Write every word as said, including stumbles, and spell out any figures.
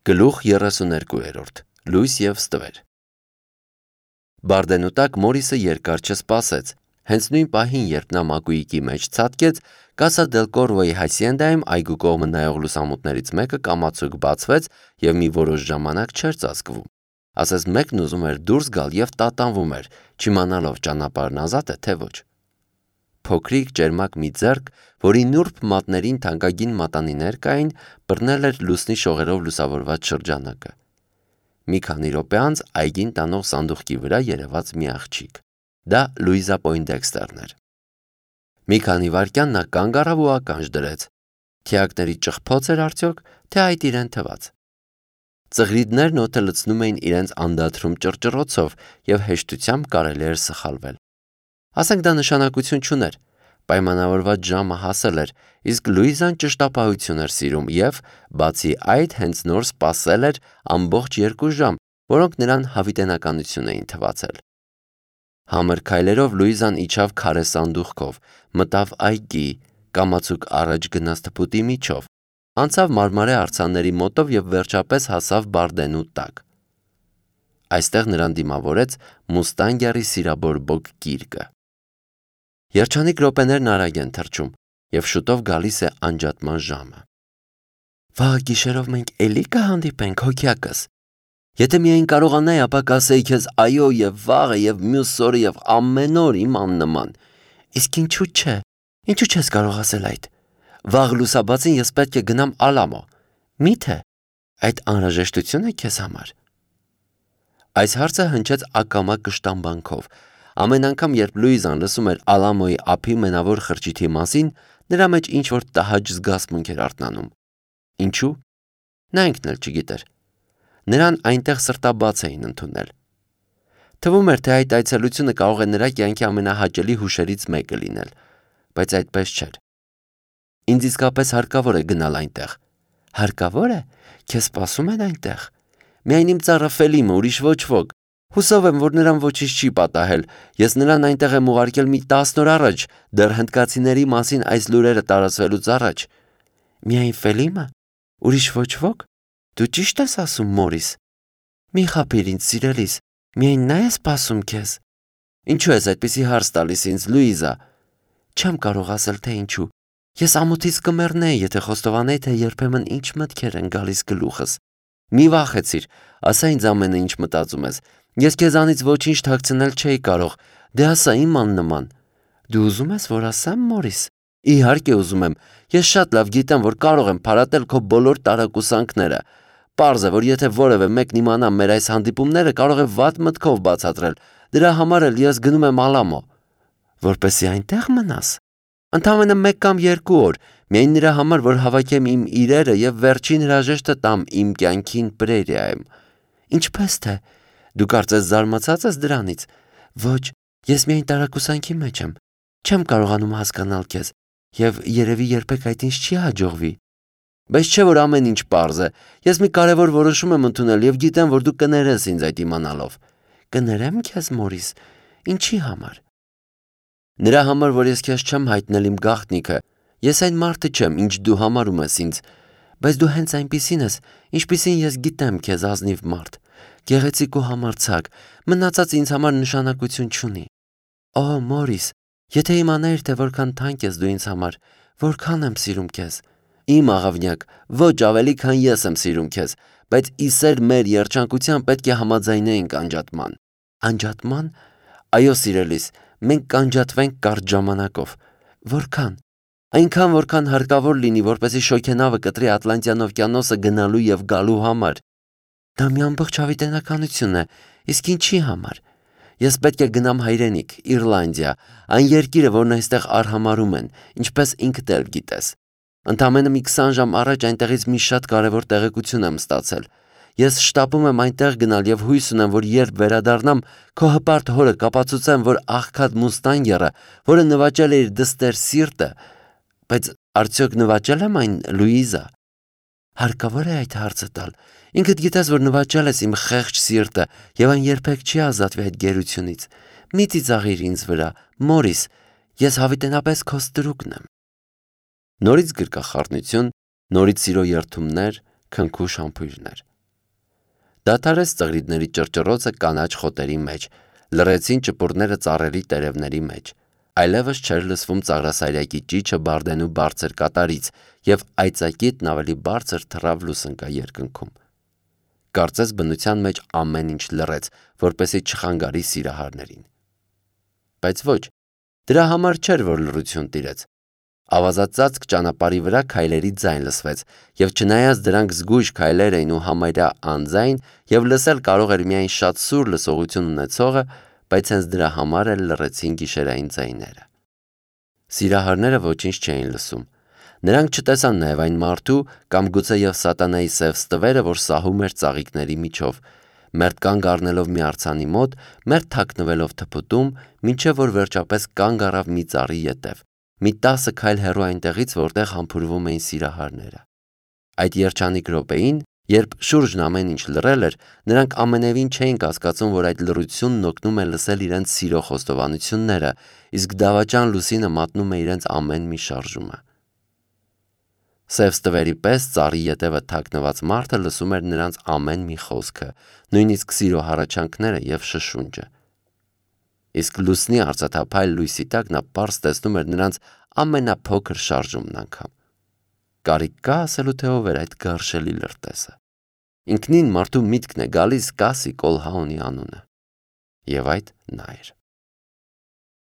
Գլուխ երեսուներկու Լույս և ստվեր Բարդենու տակ Մորիսը երկար չսպասեց, հենց նույն պահին, երբ նա մակույկի մեջ ցատկեց, Կասա դել Կորվոյի հասիենդայում այգու կողմը նայող լուսամուտներից մեկը կամացուկ բացվեց և մի որոշ ժամանակ չէր ծածկվում, ասես մեկն ուզում էր դուրս գալ և տատանվում էր, չիմանալով ճանապարհն ազատ է, թե ոչ: Փոքրիկ ճերմակ մի ձեռք, որի նուրբ մատներին թանկագին մատանիներ կային, բռնել էր լուսնի շողերով լուսավորված շրջանակը: Մի քանի րոպե անց այգին տանող սանդուղքի վրա երևաց մի աղջիկ: Դա Լուիզա Պոյնդեքստերն էր: Մի քանի վայրկյան նա կանգ առավ ու ականջ դրեց: Թիակների ճղփոց էր արդյոք, թե այդ իրեն թվաց: Ծղրիդներն օդը լցնում էին իրենց անդադրում ճռճռոցով և հեշտությամբ կարելի էր սխալվել: Ասենք դա նշանակություն չուներ, պայմանավորված ժամը հասել էր, իսկ Լուիզան ճշտապահություն էր սիրում և, բացի այդ, հենց նոր սպասել էր ամբողջ երկու ժամ, որոնք նրան հավիտենականություն էին թվացել: Համր քայլերով Լուիզան իջավ քարե սանդուղքով, մտավ այգի, կամացուկ առաջ գնաց թփուտի միջով, անցավ մարմարե արձանների մոտով և վերջապես հասավ Բարդենու տակ: Այստեղ նրան դիմավորեց մուստանգյառի սիրաբորբոք գիրկը: Երջանիկ րոպեներն արագ են թռչում, և շուտով գալիս է անջատման ժամը: Վաղը գիշերով մենք էլի կհանդիպենք, հոգյակս: Եթե միայն կարողանայի, ապա կասեի քեզ այո և վաղը և մյուս օրը և ամեն օր, իմ աննման: Իսկ ինչու՞ չէ, ինչու՞ չես կարող ասել այդ: Վաղ լուսաբացին ես պետք է գնամ Ալամո: Մի՞թե այդ անհրաժեշտություն է քեզ համար: Այս հարցը հնչեց ակամա կշտամբանքով: Ամեն անգամ, երբ Լուիզան լսում էր Ալամոյի ափի մենավոր խրճիթի մասին, նրա մեջ ինչ-որ տհաճ զգացմունք էր արթնանում: Ինչու՞: Նա ինքն էլ չգիտեր: Նրան այնտեղ սրտաբաց էին ընդունել: Թվում էր, թե այդ այցելությունը կարող է նրա կյանքի ամենահաճելի հուշերից մեկը լինել: Բայց այդպես չէր: Ինձ իսկապես հարկավոր է գնալ այնտեղ: Հարկավո՞ր է: Քեզ սպասում են այնտեղ: Միայն իմ ծառը Ֆելիմը, ուրիշ ոչ ոք: Հուսով եմ, որ նրան ոչինչ չի պատահել: Ես նրան այնտեղ եմ ուղարկել մի տասն օր առաջ, դեռ հնդկացիների մասին այս լուրերը տարածվելուց առաջ: Միայն Ֆելիմը: Ուրիշ ոչ ոք: Դու ճի՞շտ ես ասում, Մորիս: Մի խաբիր ինձ, սիրելիս, միայն նա է սպասում քեզ: Ինչու ես այդպիսի հարց տալիս ինձ, Լուիզա: Չեմ կարող ասել, թե ինչու: Ես ամոթից կմեռնեի, եթե խոստովանեի, թե երբեմն ինչ մտքեր են գալիս գլուխս: Մի վախեցիր, ասա ինձ ամենը, ինչ մտածում ես: Ես քեզանից ոչինչ թաքցնել չէի կարող: Դե ասա, իմ աննման: Դու ուզում ես, որ ասեմ, Մորիս: Իհարկե ուզում եմ: Ես շատ լավ գիտեմ, որ կարող եմ փարատել քո բոլոր տարակուսանքները: Պարզ է, որ եթե որևէ մեկն իմանա մեր այս հանդիպումները, կարող է վատ մտքով բացատրել: Դրա համար էլ ես գնում եմ Ալամո: Որպեսզի այնտեղ մնաս: Ընդամենը մեկ կամ երկու օր, միայն նրա համար, որ հավաքեմ իմ իրերը և վերջին հրաժեշտը տամ իմ կյանքին Պրերիայում: Ինչպե՞ս թե: Դու կարծես զարմացած ես դրանից: Ոչ, ես միայն տարակուսանքի մեջ եմ: Չեմ կարողանում հասկանալ քեզ և երևի երբեք այդ ինձ չի հաջողվի: Բայց չէ որ ամեն ինչ պարզ է: Ես մի կարևոր որոշում եմ ընդունել և գիտեմ, որ դու կներես ինձ այդ իմանալով: Կներեմ քեզ, Մորիս: Ինչի համար: Նրա համար, որ ես քեզ չեմ հայտնել իմ գաղտնիքը: Ես այն մարդը չեմ, ինչ դու համարում ես ինձ: Բայց դու հենց այնպիսին ես, ինչպիսին ես գիտեմ քեզ, ազնիվ մարդ: Գեղեցիկ ու համարձակ: Մնացածը ինձ համար նշանակություն չունի: Օ, Մորիս, եթե իմանայիր, թե որքան թանկ ես դու ինձ համար, որքան եմ սիրում քեզ: Իմ աղավնյակ, ոչ ավելի, քան ես եմ սիրում քեզ: Բայց ի սեր մեր երջանկության պետք է համաձայնեինք անջատման: Անջատմա՞ն: Այո, սիրելիս, մենք կանջատվենք կարճ ժամանակով: Որքան: Այնքան, որքան հարկավոր լինի, որպեսզի շոգենավը կտրի Ատլանտյան օվկիանոսը գնալու և գալու համար: Դա մի ամբողջ հավիտենականություն է: Իսկ ինչի համար: Ես պետք է գնամ հայրենիք, Իռլանդիա, այն երկիրը, որն այստեղ արհամարհում են, ինչպես ինքդ էլ գիտես: Ընդամենը մի քսան ժամ առաջ այնտեղից մի շատ կարևոր տեղեկություն եմ ստացել: Ես շտապում եմ այնտեղ գնալ և հույս ունեմ, որ երբ վերադառնամ, քո հպարտ հորը կապացուցեմ, որ աղքատ մուստանգյառը, որը նվաճել է իր դստեր սիրտը: Բայց արդյոք նվաճե՞լ եմ այն, Լուիզա: Հարկավո՞ր է այդ հարցը տալ: Ինքդ գիտես, որ նվաճել ես իմ խեղճ սիրտը և այն երբեք չի ազատվի այդ գերությունից: Մի ծիծաղիր ինձ վրա, Մորիս, ես հավիտենապես քո ստրուկն եմ: Նորից գրկախառնություն, նորից սիրո երդումներ, քնքուշ համբույրներ: Դադարեց ծղրիդների ճռճռոցը կանաչ խոտերի մեջ, լռեցին ճպուրները ծառերի տերևների մեջ, այլևս չէր լսվում ծաղրասարյակի ճիչը Բարդենու բարձր կատարից, և այծակետն ավելի բարձր թռավ լուսնկա երկնքում։ Կարծես բնության մեջ ամեն ինչ լռեց, որպեսզի չխանգարի սիրահարներին։ Բայց ոչ, դրա համար չէր, որ լռություն տիրեց։ Ավազածածկ ճանապարհի վրա քայլերի ձայն լսվեց, և չնայած դրանք զգույշ քայլեր էին ու համարյա անձայն, և լսել կարող էր միայն շատ սուր լսողություն ունեցողը, բայց հենց դրա համար էլ լռեցին գիշերային ձայները։ Սիրահարները ոչինչ չէին լսում։ Նրանք չտեսան նաև այն մարդու կամ գուցե և սատանայի սև ստվերը, որ սահում էր ծաղիկների միջով, մերթ կանգ առնելով մի արձանի մոտ, մերթ թաքնվելով թփուտում, մինչև որ վերջապես կանգ առավ մի ծառի ետև, մի տասը քայլ հեռու այնտեղից, որտեղ համբուրվում էին սիրահարները։ Այդ երջանիկ րոպեին, երբ շուրջն ամեն ինչ լռել էր, նրանք ամենևին չէին կասկածում, որ այդ լռությունն օգնում է լսել իրենց սիրո խոստովանությունները, իսկ դավաճան լուսինը մատնում է իրենց ամեն մի շարժումը։ Սև ստվերի պես ծառի ետևը թաքնված մարդը լսում էր նրանց ամեն մի խոսքը, նույնիսկ սիրո հառաչանքները և շշունջը։ Իսկ լուսնի արծաթափայլ լույսի տակ նա պարզ տեսնում էր նրանց ամենափոքր շարժումն անգամ։ Կարիք կա ասելու, թե ով էր այդ գարշելի լրտեսը։ Ինքնին մարդու միտքն է գալիս Կասի Կոլհաունի անունը։ Եվ այդ նա էր։